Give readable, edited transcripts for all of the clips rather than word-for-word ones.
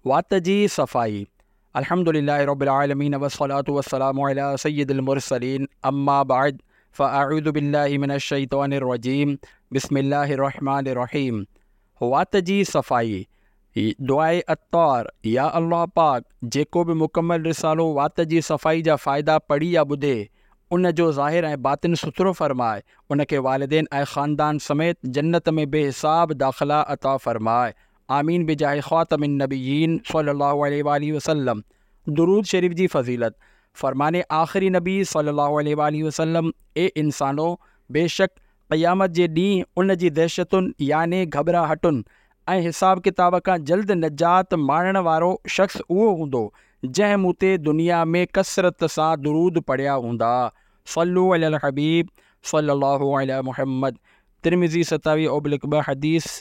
وات جي صفائي الحمد لله رب العالمين والصلاة والسلام على سيد المرسلين اما بعد فاعوذ بالله من الشيطان الرجيم بسم الله الرحمن الرحيم وات جي صفائي دعاء عطار يا الله پاڪ جيڪو به مڪمل رسالو وات جي صفائي جا فائدا پڙهي يا ٻڌي ان جو ظاهر ۽ باطن سٿرو فرماء ان کي والدين ۽ خاندان سميت جنت ۾ بي حساب داخلا عطا فرماء آمين بجاه خاتم النبيين صلي الله عليه واٰله وسلم درود شريف جي فضيلت، فرمان آخري نبي صلي الله عليه واٰله وسلم اي انسانو! بيشڪ قيامت جي ڏينهن ان جي دهشتن يعني گهٻراهٽن ۽ حساب ڪتاب کان جلد نجات ماڻڻ وارو شخص اهو هوندو جنهن مون تي دنيا ۾ ڪثرت سان درود پڙهيا هوندا صلو علي الحبيب صلي الله علي محمد ترمذي 27 اوبلڪ 2 حديث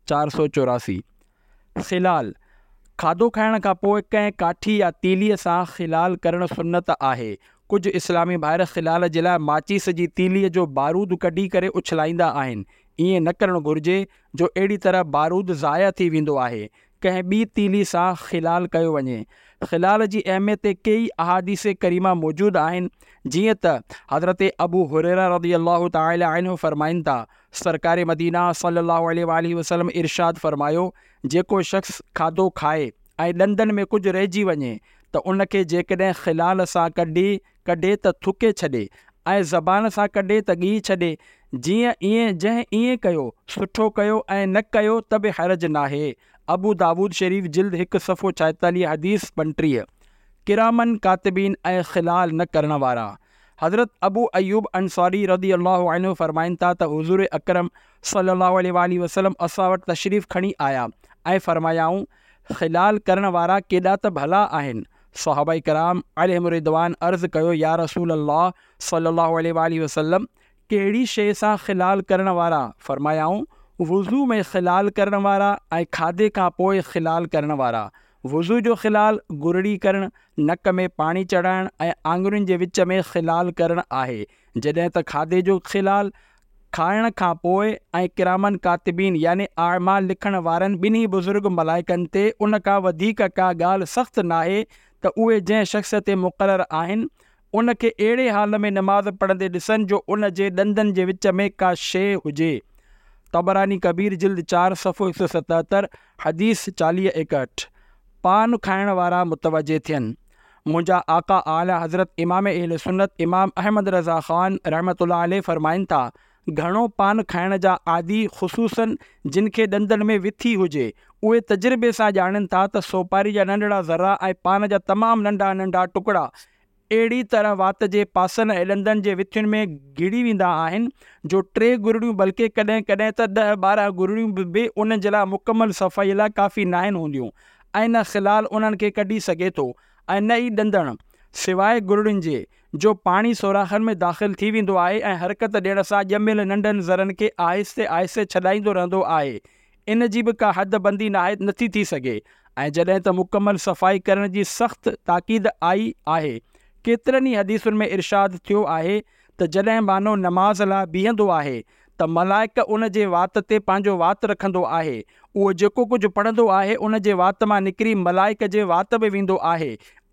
484. خلال، کاڌو کائڻ کان پوء ڪنهن ڪاٺي يا تيليء سان خلال ڪرڻ سنت آهي. ڪجهه اسلامي ڀائر خلال جي لاء ماچيس جي تيليء جو بارود ڪڍي ڪري اڇلائيندا آهن. ائين نه ڪرڻ گهرجي جو اهڙي طرح بارود ضايع ٿي ويندو آهي. ڪنهن ٻي تيلي سان خلال ڪيو وڃي. خلال جي اهميت تي ڪيئي احاديث ڪريمه موجود آهن، جيئن ته حضرت ابو هريره رضي الله تعالٰي عنه فرمائن ٿا، سرڪار مدينه صلّي اللّٰه عليه واٰله وسلّم ارشاد فرمايو، جيڪو شخص کاڌو کائي ۽ ڏندن ۾ ڪجهه رهجي وڃي ته ان کي جيڪڏهن خلال سان ڪڍي ڪڍي ته ٿڪي ڇڏي ۽ زبان سان ڪڍي ته ڳهي ڇڏي، جيئن ائين جنهن ائين ڪيو سٺو ڪيو ۽ نه ڪيو ته به حرج ناهي، ابو داود شريف جلد هڪ صفحو 46 حديث 35. ڪراماً ڪاتبين ۽ خلال نه ڪرڻ وارا. حضرت ابو ايوب انصاري رضي الله عنه فرمائن ٿا ته حضور اڪرم صلي الله عليه واٰله وسلم اسان وٽ تشريف کڻي آيا ۽ فرمايائون، خلال ڪرڻ وارا ڪيڏا ته ڀلا آهن. صحابه ڪرام عليهم الرضوان عرض ڪيو يا رسول الله صلي الله عليه واٰله وسلم ڪهڙي شيء سان خلال ڪرڻ وارا؟ فرمايائون، وضو ۾ خلال ڪرڻ وارا ۽ کاڌي کان پوء خلال ڪرڻ وارا. وضو جو خلال گرڙي ڪرڻ، نڪ ۾ پاڻي چڙهائڻ ۽ آڱرين جي وچ ۾ خلال ڪرڻ آهي، جڏهن ته کاڌي جو خلال کائڻ کان پوء ۽ ڪراماً ڪاتبين يعني اعمال لکڻ وارن ٻنهي بزرگ ملائڪن تي ان کان وڌيڪ ڪا ڳالهه سخت ناهي ته اهي جنهن شخص تي مقرر آهن ان کي اهڙي حال ۾ نماز پڙهندي ڏسن جو ان جي ڏندن جي وچ ۾ ڪا شيء هجي. طبراني ڪبير جلد چار صفحو 177 حديث 40 61. پان کائڻ وارا متوجه ٿين. منهنجا آقا اعليٰ حضرت امام اهل سنت امام احمد رضا خان رحمة الله عليه فرمائن ٿا، گهڻو پان کائڻ جا عادي خصوصاً جن کي ڏندن ۾ وٿي هجي، اهي تجربي سان ڄاڻين ٿا ته سوپاري جا ننڍڙا ذرا ۽ پان جا تمام ننڍا ننڍا ٽڪڙا اهڙي طرح وات جي پاسن ۽ ڏندن جي وٿين ۾ گهڙي ويندا آهن جو ٽي گرڙيون بلڪه ڪڏهن ڪڏهن ته ڏهه 12 گرڙيون به انهن جي لاء مڪمل صفائي لاء ڪافي ناهن هونديون ۽ نه خلال انهن کي ڪڍي سگهي ٿو ۽ نه ئي ڏندڻ، سواء گرڙين جي، جو پاڻي سوراخن ۾ داخل ٿي ويندو آهي ۽ حرڪت ڏيڻ سان ڄميل ننڍن ذرن کي آهستي آهستي ڇڏائيندو رهندو آهي ان جي به ڪا حد بندي ناهي نٿي ٿي سگهي ۽ جڏهن ته مڪمل صفائي ڪرڻ جي سخت تاڪيد آئي آهي. ڪيترن ئي حديثن ۾ ارشاد ٿيو آهي ته جڏهن ٻانهو نماز لاء بيهندو آهي ته ملائڪ ان جي وات تي پنهنجو وات رکندو آهي اهو جيڪو ڪجهه پڙهندو آهي ان جي وات مان نڪري ملائڪ جي وات ۾ ويندو آهي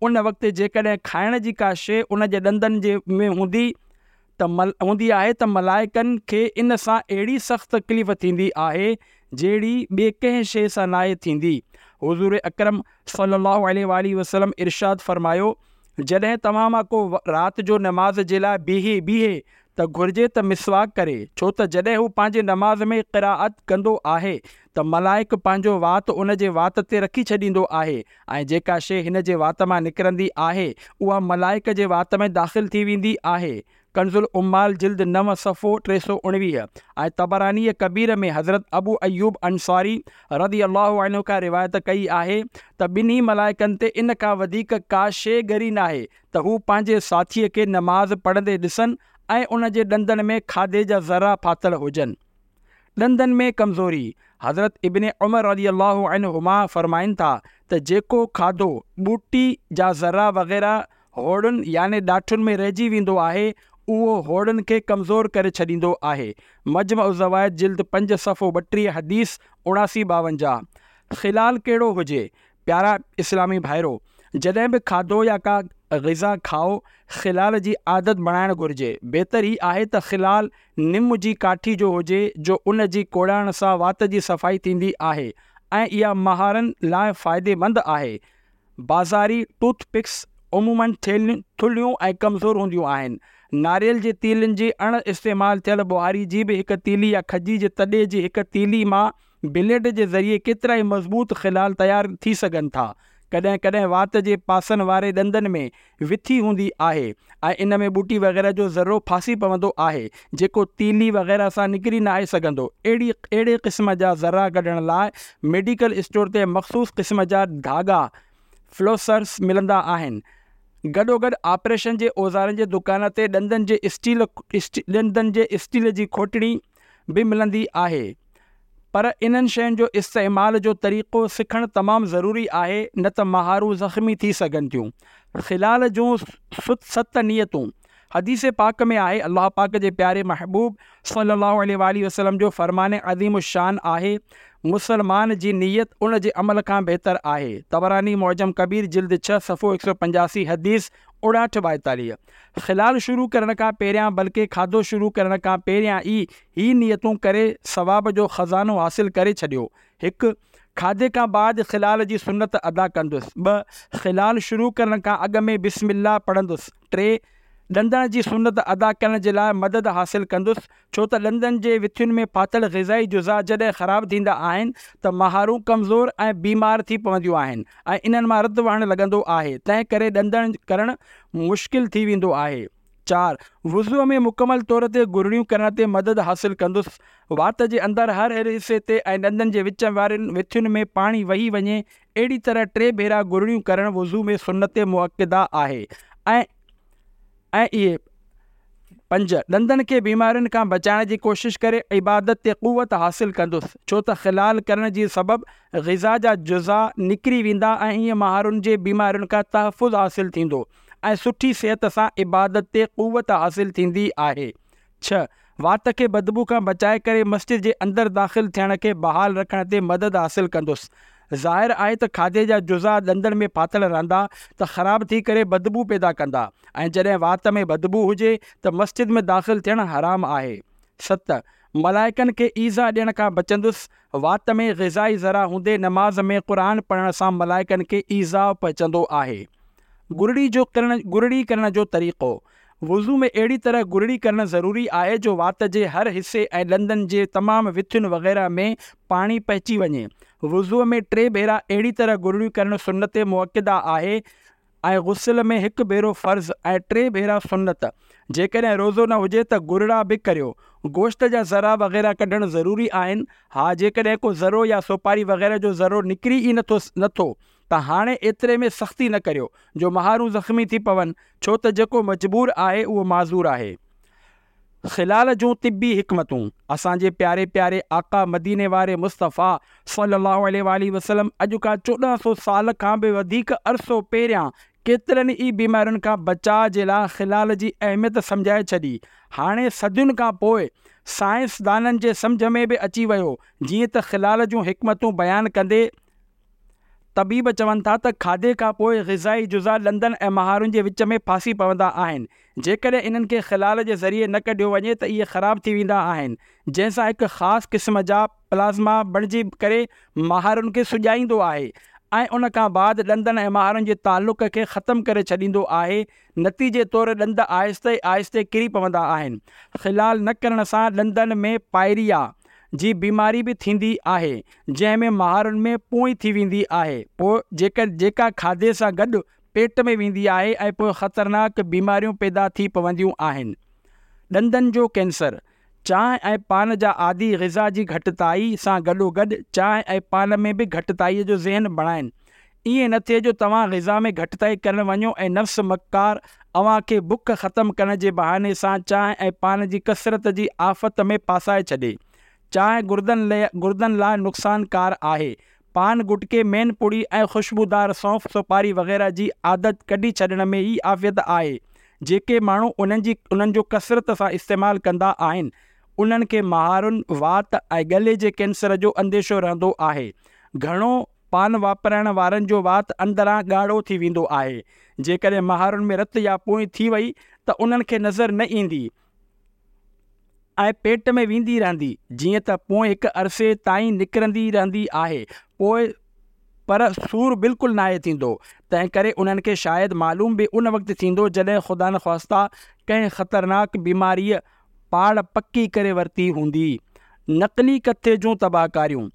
ان وقت جيڪڏهن کائڻ جي ڪا شيء ان جي ڏندن جي ۾ هوندي ته هوندي آهي ته ملائڪن کي ان سان اهڙي سخت تڪليف ٿيندي آهي جهڙي ٻي ڪنهن شيء سان ناهي ٿيندي. حضور اڪرم صلي الله عليه واٰله وسلم ارشاد فرمايو، جڏهن توهان مان ڪو رات جو نماز جي لاء بيهي بيهي ته گهرجي ته مسواڪ ڪري ڇو ته جڏهن هو پنهنجي نماز ۾ قرائت ڪندو آهي ته ملائڪ پنهنجو وات ان جي وات تي رکي ڇڏيندو آهي ۽ جيڪا شيء هن جي وات مان نڪرندي آهي اها ملائڪ جي وات ۾ داخل ٿي ويندي آهي. ڪنزالعمال جلد نو صفحو 319 ۽ طبرانيء ڪبير ۾ حضرت ابو ايوب انصاري رضي الله عنه کان روايت ڪئي آهي ته ٻنهي ملائڪن تي ان کان وڌيڪ ڪا شيء ڳري ناهي ته هو پنهنجي ساٿيء کي نماز پڙهندي ڏسن ۽ ان جي ڏندن ۾ کاڌي جا ذرا ڦاٿل هجن. ڏندن ۾ ڪمزوري، حضرت ابن عمر رضي الله عنهما فرمائن ٿا ته جيڪو کاڌو، ٻوٽي جا ذرا وغيره هوڙن يعني ڏاٺن ۾ رهجي ويندو آهي، اهو هوڙن کي ڪمزور ڪري ڇڏيندو آهي. مجمع الزوائد جلد پنج صفحو 32 حديث 79 52. خلال ڪهڙو هجي؟ پيارا اسلامي ڀائرو! جڏهن به کاڌو يا ڪا غذا کائو، خلال جي عادت بڻائڻ گهرجي. بهتر هي آهي ته خلال نم جي ڪاٺي جو هجي جو ان جي ڪوڙائڻ سان وات جي صفائي ٿيندي آهي ۽ اها مهارن لاء فائديمند آهي. بازاري ٽوٿ پڪس عموماً ٿلهيون ۽ ڪمزور هونديون آهن. ناريل جي تيلن جي اڻ استعمال ٿيل ٻهاري جي به هڪ تيلي يا کجي جي تڏي جي هڪ تيلي مان بليڊ جي ذريعي ڪيترائي مضبوط خلال تيار ٿي سگهن ٿا. ڪڏهن ڪڏهن وات جي پاسن واري ڏندن ۾ وٿي هوندي آهي ۽ ان ۾ ٻوٽي وغيره جو ذرو ڦاسي پوندو آهي، جيڪو تيلي وغيره سان نڪري ناهي سگهندو. اهڙي اهڙي قسم جا ذرا ڪڍڻ لاء ميڊيڪل اسٽور تي مخصوص قسم جا ڌاڳا، Flossers، ملندا آهن. گڏوگڏ آپريشن جي اوزارن جي دڪان تي ڏندن جي اسٽيل ڏندن جي اسٽيل جي کوٽڻي به ملندي آهي. پر انهن شين جو استعمال جو طريقو سکڻ تمام ضروري آهي نه ته مهارون زخمي ٿي سگهن ٿيون. خلال جون ست نيتون، حديث پاڪ ۾ آهي، الله پاڪ جي پياري محبوب صلّي الله عليه واٰله وسلّم جو فرمان عظيم الشان آهي، مسلمان جي نيت ان جي عمل کان بهتر آهي. طبراني معجم ڪبير جلد ڇهه صفحو 185 حديث 59 42. خلال شروع ڪرڻ کان پهريان بلڪه کاڌو شروع ڪرڻ کان پهريان ئي هي نيتون ڪري ثواب جو خزانو حاصل ڪري ڇڏيو. هڪ، کاڌي کان بعد خلال جي سنت ادا ڪندس. ٻه، خلال شروع ڪرڻ کان اڳ ۾ بسم الله پڙهندس. ٽي، ڏندڻ جي سنت ادا ڪرڻ جي لاء مدد حاصل ڪندس، ڇو ته ڏندن جي وٿين ۾ ڦاٿل غذائي جزا جڏهن خراب ٿيندا آهن ته مهارون ڪمزور ۽ بيمار ٿي پونديون آهن ۽ انهن مان رت وهڻ لڳندو آهي، تنهن ڪري ڏندڻ ڪرڻ مشڪل ٿي ويندو آهي. چار، وضوء ۾ مڪمل طور تي گرڙيون ڪرڻ تي مدد حاصل ڪندس. وات جي اندر هر هر حصي تي ۽ ڏندن جي وچ وارين وٿين ۾ پاڻي وهي وڃي، اهڙي طرح ٽي ڀيرا گرڙيون ڪرڻ وضوء ۾ سنت مؤڪده آهي ۽ ۽ اهي. پنج، ڏندن کي بيمارين کان بچائڻ جي ڪوشش ڪري عبادت تي قوت حاصل ڪندس، ڇو ته خلال ڪرڻ جي سبب غذا جا جزا نڪري ويندا ۽ ائين مهارن جي بيمارين کان تحفظ حاصل ٿيندو. ۽ سٺي صحت سان عبادت تي قوت حاصل ٿيندي آهي. ڇهه، وات کي بدبو کان بچائي ڪري مسجد جي اندر داخل ٿيڻ کي بحال رکڻ تي مدد حاصل ڪندس. ظاهر آهي ته کاڌي جا جزا ڏندن ۾ ڦاٿل رهندا ته خراب ٿي ڪري بدبو پيدا ڪندا ۽ جڏهن وات ۾ بدبو هجي ته مسجد ۾ داخل ٿيڻ حرام آهي. ست، ملائڪن کي ايذاء ڏيڻ کان بچندس، وات ۾ غذائي ذرا هوندي نماز ۾ قرآن پڙهڻ سان ملائڪن کي ايذاء پهچندو آهي. گرڙي جو ڪرڻ گرڙي ڪرڻ جو طريقو، وضو ۾ اهڙي طرح گرڙي ڪرڻ ضروري آهي جو وات جي هر حصي ۽ ڏندن جي تمام وٿين وغيره ۾ پاڻي پهچي وڃي. وضوء ۾ ٽي ڀيرا اهڙي طرح گرڙيون ڪرڻ سنت مؤڪده آهي. ۽ غسل ۾ هڪ ڀيرو فرض ۽ ٽي ڀيرا سنت. جيڪڏهن روزو نه هجي ته گرڙا به ڪريو. گوشت جا ذرا وغيره ڪڍڻ ضروري آهن. ها جيڪڏهن ڪو ذرو يا سوپاري وغيره جو ذرو نڪري ئي نٿو نٿو ته هاڻي ايتري ۾ سختي نه ڪريو جو مهارون زخمي ٿي پون ڇو ته جيڪو مجبور آهي اهو معذور آهي. خلال جون طبي حڪمتون، اسان جي پياري پياري آقا مديني واري مصطفيٰ صلّي اللّٰه عليه واٰله وسلّم اڄ کان 14 سو سال کان به وڌيڪ عرصو پهريان ڪيترن ئي بيمارين کان بچاء جي لاء خلال جي اهميت سمجهائي ڇڏي. هاڻي صدين کان پوء سائنسدانن جي سمجهه ۾ به اچي ويو جيئن ته خلال جون حڪمتون بيان ڪندي طبيب چون ٿا ته کاڌي کان پوء غذائي جزا ڏندن ۽ مهارن جي وچ ۾ ڦاسي پوندا آهن. جيڪڏهن انهن کي خلال جي ذريعي نه ڪڍيو وڃي ته اهي خراب ٿي ويندا آهن، جنهن سان هڪ خاص قسم جا پلازما بڻجي ڪري مهارن کي سڄائيندو آهي ۽ ان کان بعد ڏندن ۽ مهارن جي تعلق کي ختم ڪري ڇڏيندو آهي، نتيجي طور ڏند آهستي آهستي ڪري پوندا آهن. خلال نه ڪرڻ سان ڏندن ۾ پائريا جي بيماري به ٿيندي آهي، جنهن ۾ مهارن ۾ پونء ٿي ويندي آهي، پوء جيڪا کاڌي سان گڏ پيٽ ۾ ويندي آهي ۽ پوء خطرناڪ بيماريون پيدا ٿي پونديون آهن. ڏندن جو ڪينسر، چانهه ۽ پان جا عادي غذا جي گهٽتائي سان گڏوگڏ چانهه ۽ پان ۾ به گهٽتائي جو ذهن بڻائين. ائين نه ٿئي جو توهان غذا ۾ گهٽتائي ڪرڻ وڃو ۽ نفس مڪار اوهان کي بک ختم ڪرڻ جي بهاني سان چانهه ۽ پان جي ڪثرت جي آفت ۾ ڦاسائي ڇڏي. چانهه گردن لاء نقصانڪار آهي. پان، گٽڪي، مين پڙي ۽ خوشبودار سونف، سوپاري وغيره جي عادت ڪڍي ڇڏڻ ۾ ئي عافيت آهي. جيڪي ماڻهو انهن جي انهن جو ڪثرت سان استعمال ڪندا آهن، انهن کي مهارن، وات ۽ ڳلي جي ڪينسر جو انديشو رهندو آهي. گهڻو. پان واپرائڻ وارن جو وات اندران ڳاڙهو ٿي ويندو آهي. جيڪڏهن مهارن ۾ رت يا پونء ٿي وئي ته انهن کي نظر نه ايندي ۽ پيٽ ۾ ويندي رهندي. جيئن ته پونء هڪ عرصي تائين نڪرندي رهندي آهي پوء پر سور بلڪل ناهي ٿيندو. تنهنڪري انهن کي شايد معلوم به ان وقت ٿيندو جڏهن خدانخواسته ڪنهن خطرناڪ بيماريء پاڙ پڪي ڪري ورتي هوندي. نقلي ڪٿي جون تباهڪاريون.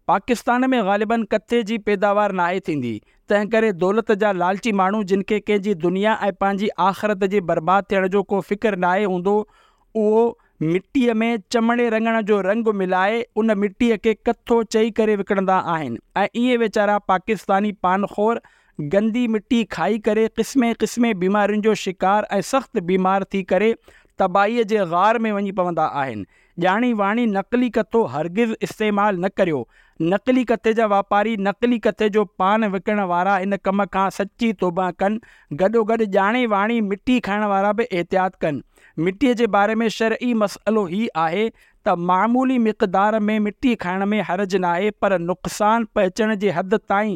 پاڪستان ۾ غالباً ڪٿي جي پيداوار ناهي ٿيندي، تنهنڪري دولت جا لالچي ماڻهو جن کي ڪنهن جي دنيا ۽ پنهنجي آخرت جي برباد ٿيڻ جو ڪو فڪر ناهي هوندو اهو مٽيء ۾ چمڙي رڱڻ جو رنگ ملائي ان مٽيء کي ڪٿو چئي ڪري وڪڻندا آهن ۽ ائين ويچارا پاڪستاني پان خور گندي مٽي کائي ڪري قسمين قسمين بيمارين جو شڪار ۽ سخت بيمار ٿي ڪري تباهيء جي غار ۾ وڃي پوندا آهن. ڄاڻي واڻي نقلي ڪٿو هرگز استعمال نه ڪريو. نقلي ڪٿي جا واپاري، نقلي ڪٿي جو پان وڪڻڻ وارا ان ڪم کان سچي توبهه ڪن. گڏوگڏ ڄاڻي واڻي مٽي کائڻ وارا به احتياط ڪن. مٽيء جي باري ۾ شرعي مسئلو هي آهي ته معمولي مقدار ۾ مٽي کائڻ ۾ حرج ناهي پر نقصان پهچڻ جي حد تائين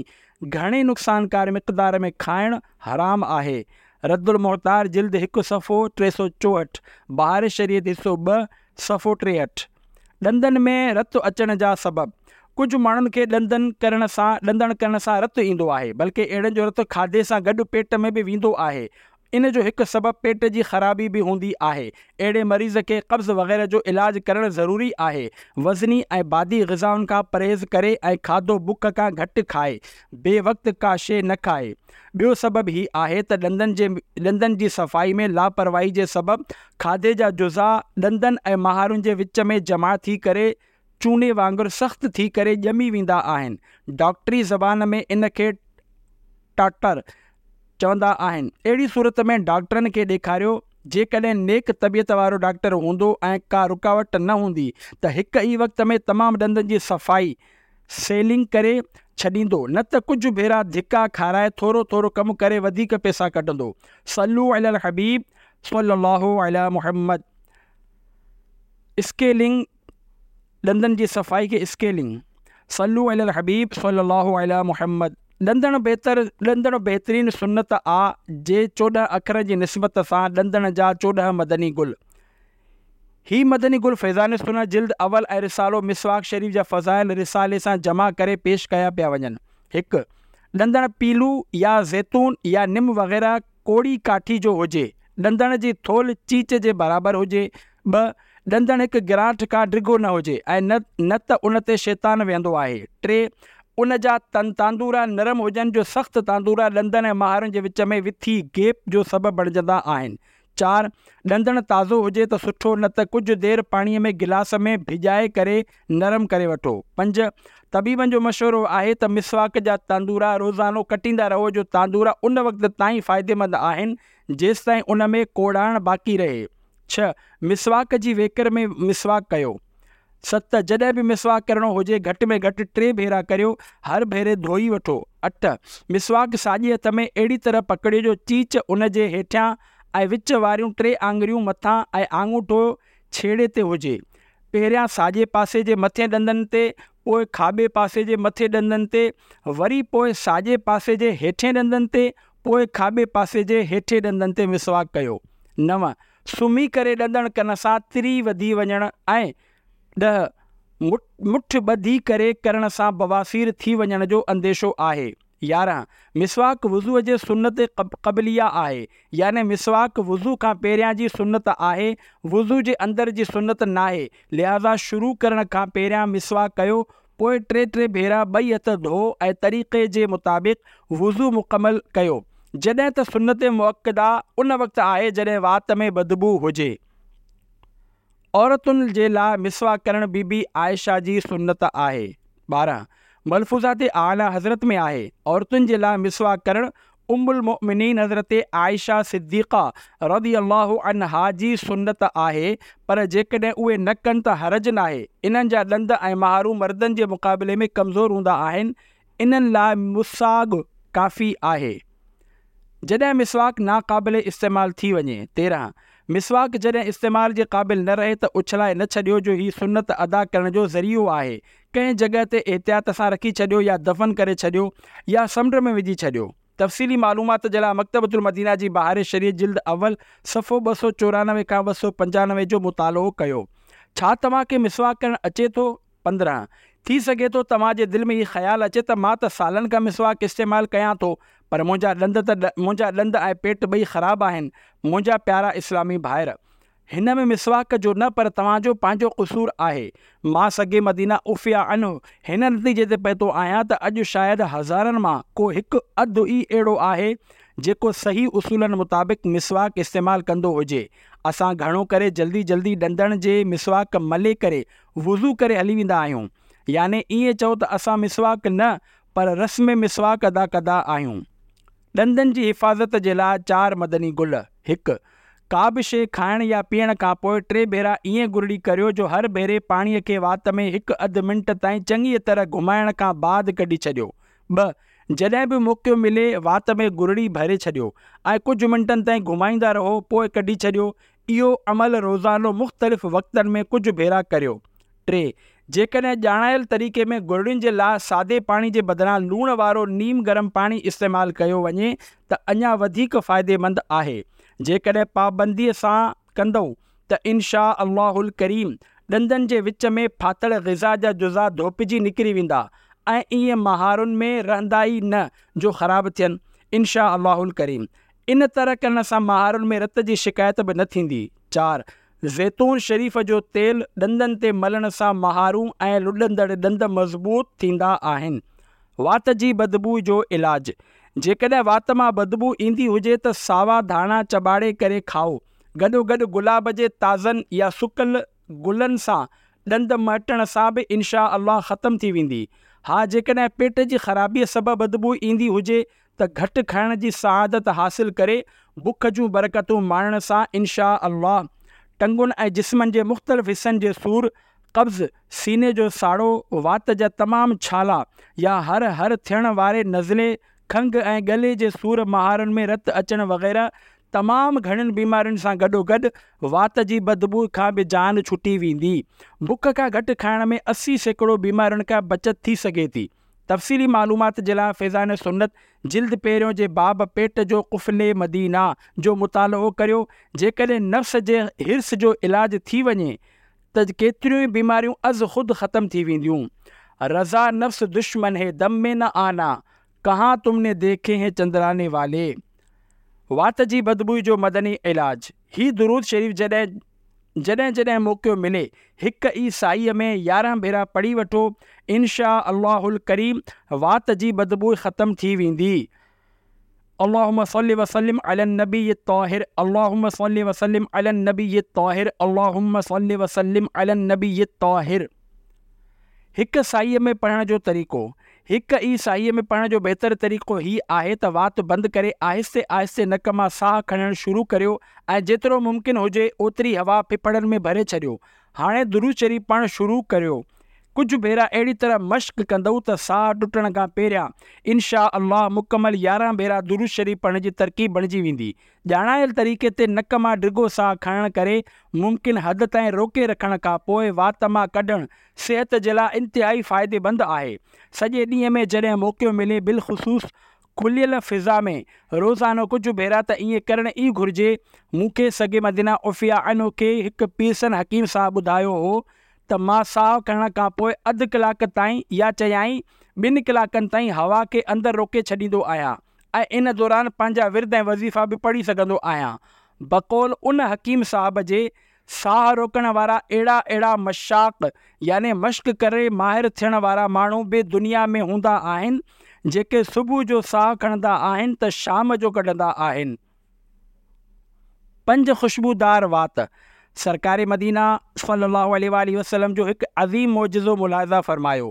گهڻي نقصانڪار مقدار ۾ کائڻ حرام آهي. رد المحتار جلد هڪ صفحو 364، بهار شريعت حصو 2 صفحو 63. ڏندن ۾ رت اچڻ جا سبب، ڪجهه ماڻهن کي ڏندن ڪرڻ سان ڏندڻ ڪرڻ سان رت ايندو آهي، بلڪه اهڙن جو رت کاڌي سان گڏ پيٽ ۾ به ويندو آهي. ان جو هڪ سبب پيٽ جي خرابي به هوندي آهي. اهڙي مريض کي قبض وغيره جو علاج ڪرڻ ضروري آهي. وزني ۽ بادي غذائن کان پرهيز ڪري ۽ کاڌو بک کان گهٽ کائي. بي وقت ڪا شيء نه کائي. ٻيو سبب هي آهي ته ڏندن جي ڏندن جي صفائي ۾ لاپرواهي جي سبب کاڌي جا جزا ڏندن ۽ مهارن جي وچ ۾ جمع ٿي ڪري چوني وانگر سخت ٿي ڪري ڄمي ويندا آهن. ڊاڪٽري زبان ۾ ان کي ٽاٽر چوندا آهن. اهڙي صورت ۾ ڊاڪٽرن کي ڏيکاريو. جيڪڏهن نيڪ طبيعت وارو ڊاڪٽر هوندو ۽ ڪا رڪاوٽ نه هوندي ته هڪ ئي وقت ۾ تمام ڏندن جي صفائي، سيلنگ، ڪري ڇڏيندو نه ته ڪجهه ڀيرا ڌڪا کارائي ٿورو ٿورو ڪم ڪري وڌيڪ پئسا ڪڍندو. صلو علي الحبيب صلي الله علي محمد. اسڪيلنگ ڏندن جي صفائي کي اسڪيلنگ. صلو علي الحبيب صلي الله علي محمد. ڏندڻ بهتر ڏندڻ بهترين سنت آ جي 14 اکرن جي نسبت سان ڏندڻ جا 14 مدني گل. هي مدني گل فيضان سنت جلد اول ۽ رسالو مسواڪ شريف جا فضائل رسالي سان جمع ڪري پيش ڪيا پيا وڃن. 1. ڏندڻ پيلو يا زيتون يا نم وغيره ڪوڙي ڪاٺي جو هجي. ڏندڻ جي ٿولهه چيچ جي برابر هجي. 2. ڏندڻ هڪ گرانٺ کان ڊگهو نه هجي ۽ نه نه ته ان تي شيطان ويهندو آهي. 3. ان جا تاندورا نرم هجن جو سخت تاندورا ڏندن ۽ مهارن جي وچ ۾ وٿي، Gap، جو سبب بڻجندا آهن. 4. ڏندڻ تازو هجي ته سٺو نه ته ڪجهه دير پاڻيء ۾ گلاس ۾ ڀڄائي ڪري نرم ڪري وٺو. 5. طبيبن جو مشورو آهي ته مسواڪ جا تاندورا روزانو ڪٽيندا رهو جو تاندورا ان وقت تائين فائديمند آهن جيستائين ان ۾ ڪوڙاڻ باقي رهي. 6. مسواڪ جي ويڪر ۾ مسواڪ ڪيو. 7. جڏهن به مسواڪ ڪرڻو هجي گهٽ ۾ گهٽ ٽي ڀيرا ڪريو، هر ڀيري ڌوئي وٺو. 8. مسواڪ ساڄي هٿ ۾ اهڙي طرح پڪڙيو جو چيچ ان جي هيٺيان ۽ وچ واريون ٽي آڱريون مٿان ۽ آڱوٺو ڇيڙي تي هجي. پهريان ساڄي پاسي جي مٿين ڏندن تي، پوء کاٻي پاسي جي مٿين ڏندن تي، وري پوء ساڄي پاسي جي هيٺين ڏندن تي، پوء کاٻي پاسي جي هيٺين ڏندن تي مسواڪ ڪيو. 9. سمهي ڪري ڏندڻ ڪرڻ سان تري وڌي وڃڻ ۽ 10. مٺ ٻڌي ڪري ڪرڻ سان بواسير ٿي وڃڻ جو انديشو آهي. 11. مسواڪ وضوء جي سنت قبليه آهي، يعني مسواڪ وضو کان پهريان جي سنت آهي، وضو جي اندر جي سنت ناهي، لهٰذا شروع ڪرڻ کان پهريان مسواڪ ڪيو، پوء ٽي ٽي ڀيرا ٻئي هٿ ڌوئو ۽ طريقي جي مطابق وضو مڪمل ڪيو. جڏهن ته سنت مؤڪده ان وقت آهي جڏهن وات ۾ بدبوء هجي. عورتن جي لاء مسواڪ ڪرڻ بي بي عائشه جي سنت آهي. 12. ملفوظات اعليٰ حضرت ۾ آهي، عورتن جي لاء مسواڪ ڪرڻ ام المؤمنين حضرت عائشه صديقه رضي الله عنها جي سنت آهي، پر جيڪڏهن اهي نه ڪن ته حرج ناهي. انهن جا ڏند ۽ مهارون مردن جي مقابلي ۾ ڪمزور هوندا آهن، انهن لاء مسواڪ ڪافي آهي. جڏهن مسواڪ ناقابل استعمال ٿي وڃي. 13. مسواڪ جڏهن استعمال جي قابل نه رهي ته اڇلائي نه ڇڏيو جو هي سنت ادا ڪرڻ جو ذريعو آهي. ڪنهن جڳهه تي احتياط سان رکي ڇڏيو يا دفن ڪري ڇڏيو يا سمنڊ ۾ وجهي ڇڏيو. تفصيلي معلومات جي لاء مڪتبة المدينه جي بهار شريعت جلد اول صفحو 294 کان 295 جو مطالعو ڪيو. ڇا توهان کي مسواڪ ڪرڻ اچي ٿو؟ 15. ٿي سگهي ٿو توهان جي دل ۾ هي خيال اچي ته مان ته سالن کان مسواڪ استعمال ڪيان ٿو پر منهنجا ڏند ته منهنجا ڏند ۽ پيٽ ٻئي خراب آهن. منهنجا پيارا اسلامي ڀائر! هن ۾ مسواڪ جو نه پر توهان جو پنهنجو قصور آهي. مان سگي مدينه عفي عنه هن نتيجي تي پهتو آهيان ته اڄ شايد هزارن مان ڪو هڪ اڌ ئي اهڙو آهي جيڪو صحيح اصولن مطابق مسواڪ استعمال ڪندو هجي. اسان گهڻو ڪري جلدي جلدي ڏندڻ جي مسواڪ ملي ڪري وضو ڪري هلي ويندا آهيون. يعني ائين چئو ته اسان مسواڪ نه پر رسم مسواڪ ادا ڪندا آهيون. ڏندن جي حفاظت جي لاء چار مدني گل، هڪ. ڪا به شيء کائڻ يا پيئڻ کان پوء ٽي ڀيرا ائين گرڙي ڪريو جو هر ڀيري پاڻيء کي وات ۾ هڪ اڌ منٽ تائين چڱيء طرح گهمائڻ کان بعد ڪڍي ڇڏيو. ٻه. جڏهن به موقعو ملي وات ۾ گرڙي ڀري ڇڏيو ۽ ڪجهه منٽن تائين گهمائيندا رهو پوء ڪڍي ڇڏيو. اهو عمل روزانو مختلف وقتن ۾ ڪجهه ڀيرا ڪريو. ٽي. جيڪڏهن ڄاڻايل طريقي ۾ گرڙين جي لاء سادي پاڻي جي بدران لوڻ وارو نيم گرم پاڻي استعمال ڪيو وڃي ته اڃا وڌيڪ فائديمند آهي. جيڪڏهن پابندي سان ڪندؤ ته ان شآء الله الڪريم ڏندن جي وچ ۾ ڦاٿل غذا جا جزا ڌوپجي نڪري ويندا ۽ ائين مهارن ۾ رهندا ئي نه جو خراب ٿين. ان شآء الله الڪريم ان طرح ڪرڻ سان مهارن ۾ رت جي شڪايت به نه ٿيندي. چار. زيتون شريف جو تيل ڏندن تي ملڻ سان مهارون ۽ لڏندڙ ڏند مضبوط ٿيندا آهن. وات جي بدبوء جو علاج، جيڪڏهن وات مان بدبوء ايندي هجي ته ساوا ڌاڻا چٻاڙي ڪري کائو، گڏوگڏ گلاب جي تازن يا سڪل گلن سان ڏند مهٽڻ سان به انشاء الله ختم ٿي ويندي. ها جيڪڏهن پيٽ جي خرابيء سبب بدبوء ايندي هجي ته گهٽ کائڻ جي سعادت حاصل ڪري بک جون برڪتون ماڻڻ سان انشاء الله ٽنگن ۽ جسمن جي مختلف حصن جي سور، قبض، سيني جو ساڙو، وات جا تمام ڇالا يا هر هر ٿيڻ واري نزلي، کنگهه ۽ ڳلي جي سور مهارن ۾ رت اچڻ وغيره تمام گهڻين بيمارين سان گڏوگڏ وات جي بدبوء کان به جان ڇٽي ويندي. بک کان گهٽ کائڻ ۾ 80% بيمارين کان بچت ٿي سگهي ٿي. تفصيلي معلومات جي لاء فيضان سنت جلد پهريون جي باب پيٽ جو قفل مدينه جو مطالعو ڪريو جيڪڏهن نفس جي حرص جو علاج ٿي وڃي ته ڪيتريون ئي بيماريون از خود ختم ٿي وينديون. رضا نفس دشمن هي دم ۾ نه آنا ڪهان تم ني ديکي هين چندراني والي. وات جي بدبوء جو مدني علاج هي درود شريف جڏهن جڏهن جڏهن موقعو ملي هڪ ئي ساهيء ۾ 11 ڀيرا پڙهي وٺو ان شآء الله الڪريم وات جي بدبوء ختم ٿي ويندي. اللهم صل وسلم علي النبي الطاهر اللهم صل وسلم علي النبي الطاهر اللهم صل وسلم علي النبي الطاهر. هڪ ساهيء ۾ پڙهڻ جو طريقو، هڪ ئي ساهيء ۾ پڙهڻ جو بهتر طريقو هي آهي ته وات بند ڪري آهستي آهستي نڪ مان ساهه کڻڻ شروع ڪريو ۽ جيترو ممڪن هجي اوتري هوا ڦڦڙن ۾ ڀري ڇڏيو. هاڻي درود شريف پڙهڻ شروع ڪريو. ڪجهه ڀيرا اهڙي طرح مشق ڪندؤ ته ساهه ٽٽڻ کان پهريان ان شآء الله مڪمل 11 ڀيرا درود شريف پڙهڻ جي ترڪيب بڻجي ويندي. ڄاڻايل طريقي تي نڪ مان ڊگهو ساهه کڻڻ ڪري ممڪن حد تائين روڪي رکڻ کان پوء وات مان ڪڍڻ صحت جي لاء انتهائي فائديمند آهي. سڄي ڏينهن ۾ جڏهن موقعو ملي بالخصوص کليل فضا ۾ روزانو ڪجهه ڀيرا ته ائين ڪرڻ ئي گهرجي. مون کي سگي مدينه عفيه عنه کي هڪ پيرسن حڪيم صاحب ٻڌايو هو ته مان ساهه کڻڻ کان پوء اڌ ڪلاڪ تائين يا چيائين ٻن ڪلاڪن تائين هوا کي اندر روڪي ڇڏيندو آهيان ۽ ان دوران پنهنجا ورد ۽ وظيفا به پڙهي سگهندو آهيان. بقول ان حڪيم صاحب جي، ساهه روڪڻ وارا اهڙا اهڙا مشاق يعني مشق ڪري ماهر ٿيڻ وارا ماڻهو به دنيا ۾ هوندا آهن، جيڪي صبح جو ساهه کڻندا آهن ته شام جو ڪڍندا آهن. پنج خوشبودار وات، سرڪار مدينه صلّي اللّٰه عليه واٰله وسلّم جو هڪ عظيم معجزو ملاحظه فرمايو،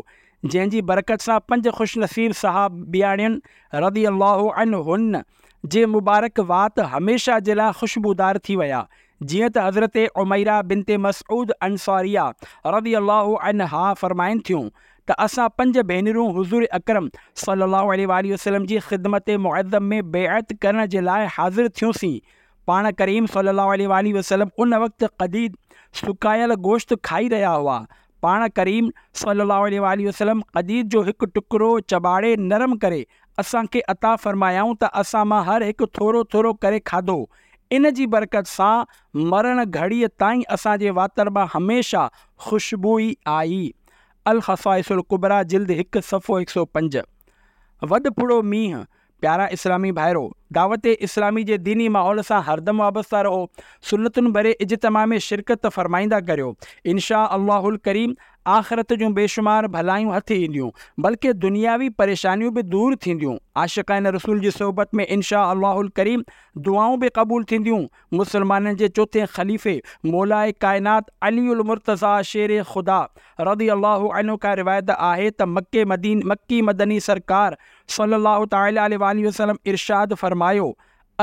جنهن جي برڪت سان پنج خوش نصيب صحابياڻين رضي الله عنهن جي مبارڪ وات هميشه جي لاء خوشبودار ٿي ويا، جيئن ته حضرت عميره بنت مسعود انصاريه رضي الله عنها فرمائن ٿيون ته اسان پنج ڀينرون حضور اڪرم صلّي اللّٰه عليه واٰله وسلّم جي خدمت معظم ۾ بيعت ڪرڻ جي لاء حاضر ٿيونسين، پاڻ ڪريم صلّي اللّٰه عليه واٰله وسلّم ان وقت قديد، سڪايل گوشت، کائي رهيا هئا. پاڻ ڪريم صلّي اللّٰه عليه واٰله وسلّم قديد جو هڪ ٽڪرو چٻاڙي نرم ڪري اسان کي عطا فرمايائون ته اسان مان هر هڪ ٿورو ٿورو ڪري کاڌو. ان جي برڪت سان مرڻ گهڙيء تائين اسان جي واتر مان هميشه خوشبو ئي آئي. الخصائص الڪبريٰ جلد هڪ صفحو 105. وڏ ڦڙو مينهن، پيارا اسلامي ڀائرو! دعوت اسلامي جي ديني ماحول سان هردم وابسته رهو، سنتن ڀري اجتماع ۾ شرڪت فرمائيندا ڪريو، ان شآء الله الڪريم آخرت جون بيشمار ڀلايون هٿ اينديون، بلڪه دنياوي پريشانيون به دور ٿينديون، عاشقان رسول جي صحبت ۾ ان شآء الله الڪريم دعائون به قبول ٿينديون، مسلمانن جي چوٿين خليفي مولاء ڪائنات علي المرتضيٰ شير خدا رضي الله عنه کان روايت آهي ته مڪي مڪي مدني سرڪار صلّي الله تعالٰي عليه واٰله وسلّم ارشاد فرمايو،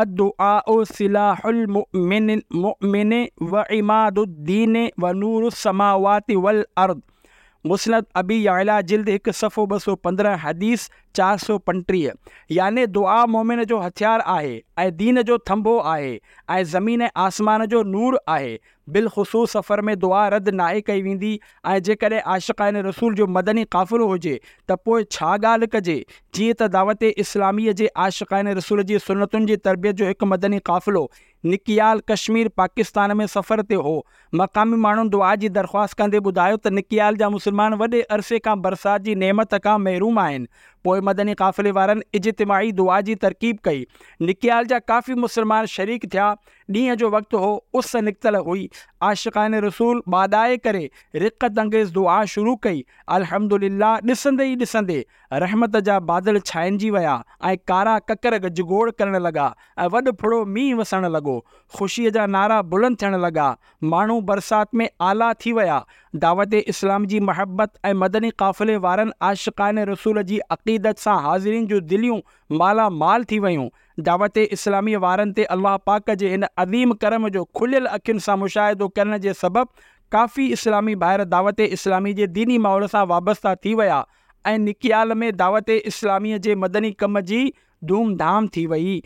الدعاء سلاح المؤمن المؤمن وعماد الدين ونور السماوات والارض مسند ابي يعليٰ جلد هڪ صفحو 215 حديث 435 يعني دعا مؤمن جو هٿيار آهي ۽ دين جو ٿنڀو آهي ۽ زمين ۽ آسمان جو نور آهي بالخصوص سفر ۾ دعا رد ناهي ڪئي ويندي ۽ جيڪڏهن عاشقان رسول جو مدني قافلو هجي ته پوء ڇا ڳالهه ڪجي، جيئن ته دعوت اسلاميء جي عاشقان رسول جي سنتن جي تربيت جو هڪ مدني قافلو نڪيال ڪشمير پاڪستان ۾ سفر تي هو. مقامي ماڻهن دعا جي درخواست ڪندي ٻڌايو ته نڪيال جا مسلمان وڏي عرصي کان برسات جي نعمت کان محروم آهن. پوء مدني قافلي وارن اجتماعي دعا جي ترڪيب ڪئي. نڪيال جا ڪافي مسلمان شريڪ ٿيا. ڏينهن جو وقت هو، اس نڪتل هئي. عاشقان رسول ٻاڏائي ڪري رقت انگيز دعا شروع ڪئي. الحمدلله ڏسندي ئي ڏسندي رحمت جا بادل ڇائنجي ويا ۽ ڪارا ڪڪر گجگوڙ ڪرڻ لڳا ۽ وڏ ڦڙو مينهن وسڻ لڳو. خوشيء جا نعرا بلند ٿيڻ لڳا. ماڻهو برسات ۾ آلا ٿي ويا. دعوت اسلام جي محبت ۽ مدني قافلي وارن عاشقان رسول جي عقيدت سان حاضرين جون دليون مالا مال ٿي ويون. دعوت اسلاميء وارن تي الله پاڪ جي هن عظيم ڪرم جو کليل اکين سان مشاهدو ڪرڻ جي سبب ڪافي اسلامي ڀائر دعوت اسلامي جي ديني ماحول سان وابسته ٿي ويا ۽ نڪيال ۾ دعوت اسلاميء جي مدني ڪم جي ڌوم ڌام ٿي وئي.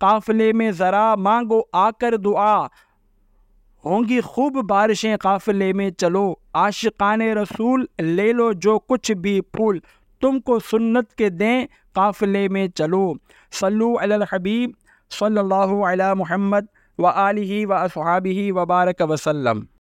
قافلي ۾ ذرا مانگو آڪر دعا هونگي خوب بارشين قافلي ۾ چلو عاشقان رسول لي لو جو ڪڇ ڀي ڦول تم ڪو سنت ڪي دين قافلي ۾ چلو صلو علي الحبيب صلي الله علي محمد وآله واصحابه وبارڪ وسلم.